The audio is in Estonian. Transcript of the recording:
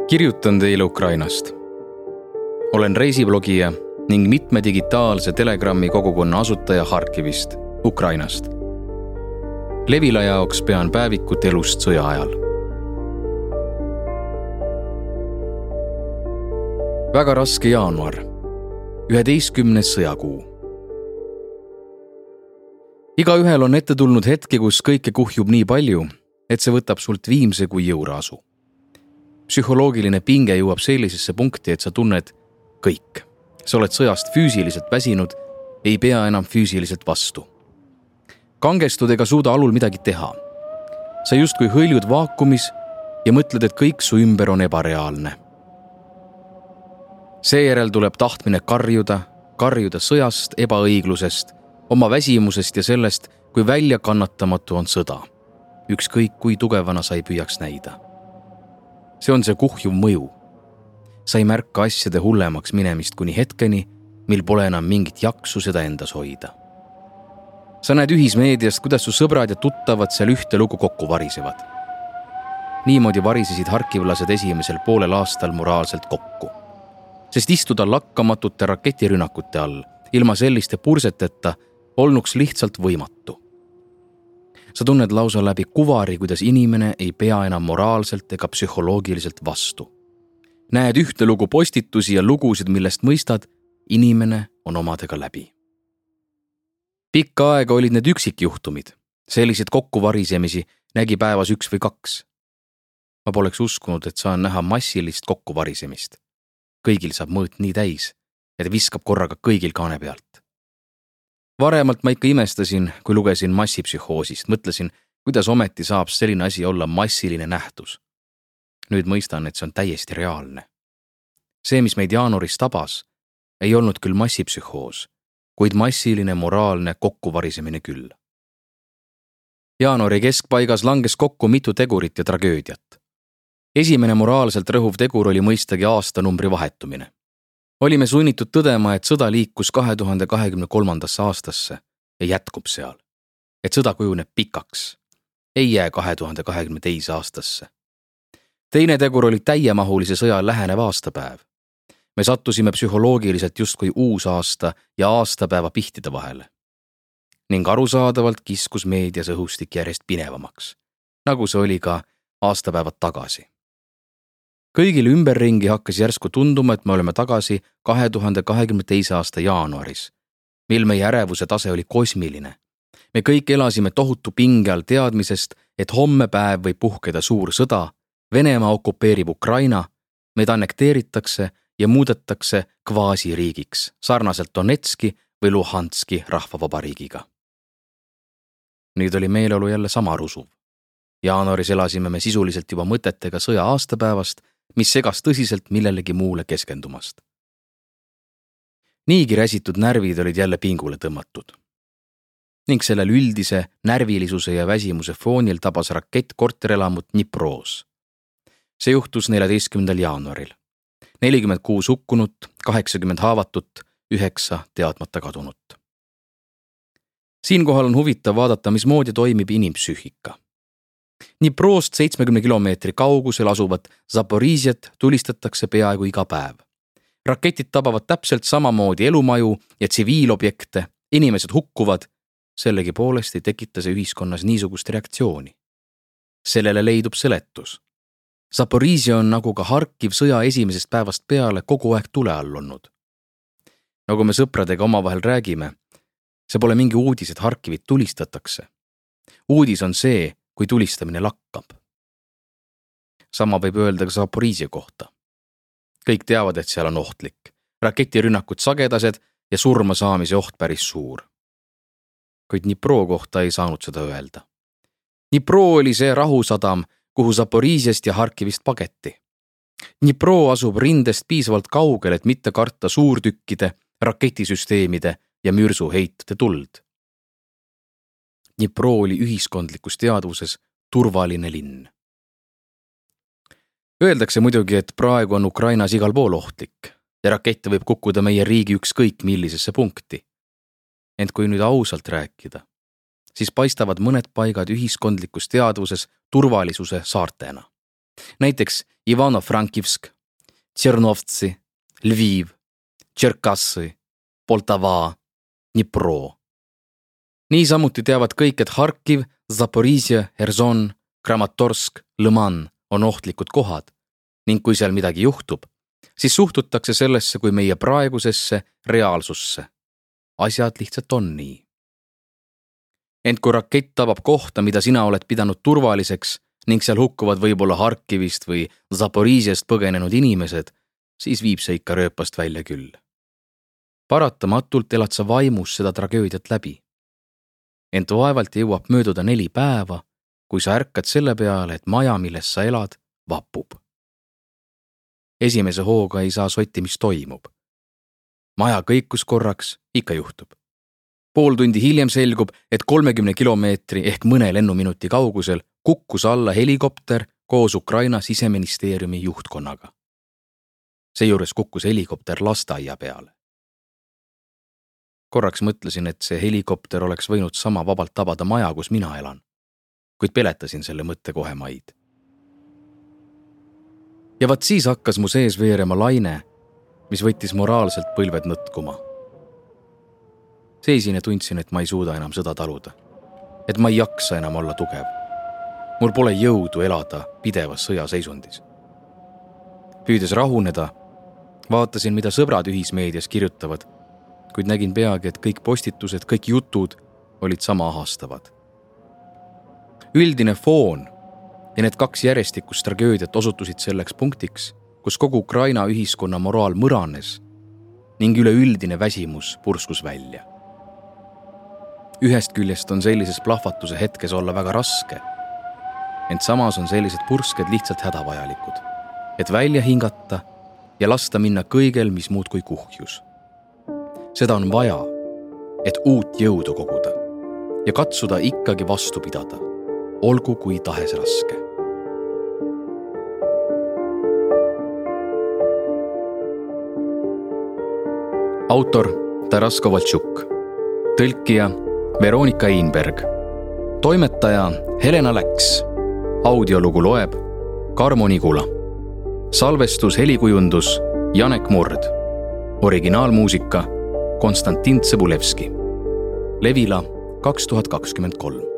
Kirjutan teile Ukrainast. Olen reisiblogija ning mitme digitaalse Telegrami kogukonna asutaja Harkivist, Ukrainast. Levila jaoks pean päevikut elust sõja ajal. Väga raske jaanuar, 11. sõjakuu. Igaühel on ette tulnud hetke, kus kõike kuhjub nii palju, et see võtab sult viimse kui jõuraasu. Psühholoogiline pinge jõuab sellisesse punkti, et sa tunned kõik. Sa oled sõjast füüsiliselt väsinud, ei pea enam füüsiliselt vastu. Kangestud ega suuda alul midagi teha. Sa justkui hõljud vaakumis ja mõtled, et kõik su ümber on ebareaalne. Seejärel tuleb tahtmine karjuda sõjast, ebaõiglusest, oma väsimusest ja sellest, kui väljakannatamatu on sõda. Ükskõik kui tugevana sa ei püüaks näida. See on see kuhjuv mõju. Sa ei märka asjade hullemaks minemist kuni hetkeni, mil pole enam mingit jaksu seda endas hoida. Sa näed ühismeediast, kuidas su sõbrad ja tuttavad seal ühte lugu kokku varisevad. Niimoodi varisesid harkivlased esimesel poolel aastal moraalselt kokku. Sest istuda lakkamatute raketirünnakute all, ilma selliste purseteta, olnuks lihtsalt võimatu. Sa tunned lausa läbi kuvari, kuidas inimene ei pea enam moraalselt ega psühholoogiliselt vastu. Näed ühte lugu postitusi ja lugusid, millest mõistad, inimene on omadega läbi. Pikka aega olid need üksikjuhtumid. Sellised kokkuvarisemisi nägi päevas 1 või 2. Ma poleks uskunud, et saan näha massilist kokkuvarisemist. Kõigil saab mõõt nii täis, et viskab korraga kõigil kaane pealt. Varemalt ma ikka imestasin, kui lugesin massipsühhoosist, mõtlesin, kuidas ometi saab selline asi olla massiline nähtus. Nüüd mõistan, et see on täiesti reaalne. See, mis meid jaanuaris tabas, ei olnud küll massipsühhoos, kuid massiline moraalne kokkuvarisemine küll. Jaanuari keskpaigas langes kokku mitu tegurit ja tragöödiat. Esimene moraalselt rõhuv tegur oli mõistagi aastanumbri vahetumine. Olime sunnitud tõdema, et sõda liikus 2023. aastasse ja jätkub seal. Et sõda kujuneb pikaks. Ei jää 2022. aastasse. Teine tegur oli täiemahulise sõja lähenev aastapäev. Me sattusime psühholoogiliselt justkui uus aasta ja aastapäeva pihtide vahele. Ning arusaadavalt kiskus meedias õhustik järjest pinevamaks, nagu see oli ka aastapäevad tagasi. Kõigil ümberringi hakkas järsku tunduma, et me oleme tagasi 2022. aasta jaanuaris, mil meie ärevuse tase oli kosmiline. Me kõik elasime tohutu pinge all teadmisest, et homme päev võib puhkeda suur sõda, Venemaa okupeerib Ukraina, meid annekteeritakse ja muudetakse kvaasiriigiks, sarnaselt Donetski või Luhanski rahvavabariigiga. Nüüd oli meeleolu jälle sama rusuv. Jaanuaris elasime me sisuliselt juba mõtetega sõja aastapäevast, mis segas tõsiselt millelegi muule keskendumast. Niigi räsitud närvid olid jälle pingule tõmmatud. Ning sellel üldise närvilisuse ja väsimuse foonil tabas rakett korterelamut Dniproos. See juhtus 14. jaanuaril. 46 hukkunut, 80 haavatut, 9 teadmata kadunut. Siinkohal on huvitav vaadata, mismoodi toimib inimpsüühika. Dniproost 70 kilomeetri kaugusel asuvat Zaporižjat tulistatakse peaaegu iga päev. Raketid tabavad täpselt samamoodi elumaju ja tsiviilobjekte, inimesed hukkuvad, sellegi poolest ei tekita see ühiskonnas niisugust reaktsiooni. Sellele leidub seletus. Zaporižja on nagu ka Harkiv sõja esimesest päevast peale kogu aeg tule all olnud. Nagu me sõpradega omavahel räägime, see pole mingi uudis, et Harkivit tulistatakse. Uudis on see, kui tulistamine lakkab. Sama võib öelda ka Zaporižja kohta. Kõik teavad, et seal on ohtlik. Raketirünnakud sagedased ja surma saamise oht päris suur. Kuid Dnipro kohta ei saanud seda öelda. Dnipro oli see rahusadam, kuhu Zaporižjast ja Harkivist pageti. Dnipro asub rindest piisavalt kaugel, et mitte karta suurtükkide, raketisüsteemide ja mürsuheitude tuld. Dnipro oli ühiskondlikus teadvuses turvaline linn. Öeldakse muidugi, et praegu on Ukrainas igal pool ohtlik ja rakette võib kukkuda meie riigi ükskõik millisesse punkti. Ent kui nüüd ausalt rääkida, siis paistavad mõned paigad ühiskondlikus teadvuses turvalisuse saartena. näiteks Ivano-Frankivsk, Tšernovtsi, Lviv, Tšerkassi, Poltava, Dnipro. Niisamuti teavad kõik, et Harkiv, Zaporižje, Herson, Kramatorsk, Lõman on ohtlikud kohad ning kui seal midagi juhtub, siis suhtutakse sellesse kui meie praegusesse reaalsusse. Asjad lihtsalt on nii. Ent kui rakett tabab kohta, mida sina oled pidanud turvaliseks ning seal hukkuvad võib-olla Harkivist või Zaporižjest põgenenud inimesed, siis viib see ikka rööpast välja küll. Paratamatult elad sa vaimus seda tragöödiat läbi. Ent vaevalt jõuab mööduda 4 päeva, kui sa ärkad selle peale, et maja, milles sa elad, vapub. Esimese hooga ei saa sotti, mis toimub. Maja kõikus korraks, ikka juhtub. Pool tundi hiljem selgub, et 30 kilomeetri ehk mõne lennuminuti kaugusel kukkus alla helikopter koos Ukraina siseministeeriumi juhtkonnaga. Seejuures kukkus helikopter lasteaia peale. Korraks mõtlesin, et see helikopter oleks võinud sama vabalt tabada maja, kus mina elan, kuid peletasin selle mõtte kohe maid. Ja vaat siis hakkas mu sees veerema laine, mis võttis moraalselt põlved nõtkuma. Seisin ja tundsin, et ma ei suuda enam sõda taluda, et ma ei jaksa enam olla tugev. Mul pole jõudu elada pidevas sõjaseisundis. Püüdes rahuneda, vaatasin, mida sõbrad ühismeedias kirjutavad, kuid nägin peagi, et kõik postitused, kõik jutud olid sama ahastavad. Üldine foon ja need 2 järjestikust tragöödiat osutusid selleks punktiks, kus kogu Ukraina ühiskonna moraal mõranes ning üleüldine väsimus purskus välja. Ühest küljest on sellises plahvatuse hetkes olla väga raske, ent samas on sellised pursked lihtsalt hädavajalikud, et välja hingata ja lasta minna kõigel, mis muud kui kuhjus. Seda on vaja, et uut jõudu koguda ja katsuda ikkagi vastu pidada, olgu kui tahes raske. Autor Taras Kovaltšuk, tõlkija Veronika Einberg, toimetaja Helena Läks, audiolugu loeb Karmo Nigula, salvestus helikujundus Janek Murd, originaalmuusika Konstantin Tsõbulevski, Levila 2023.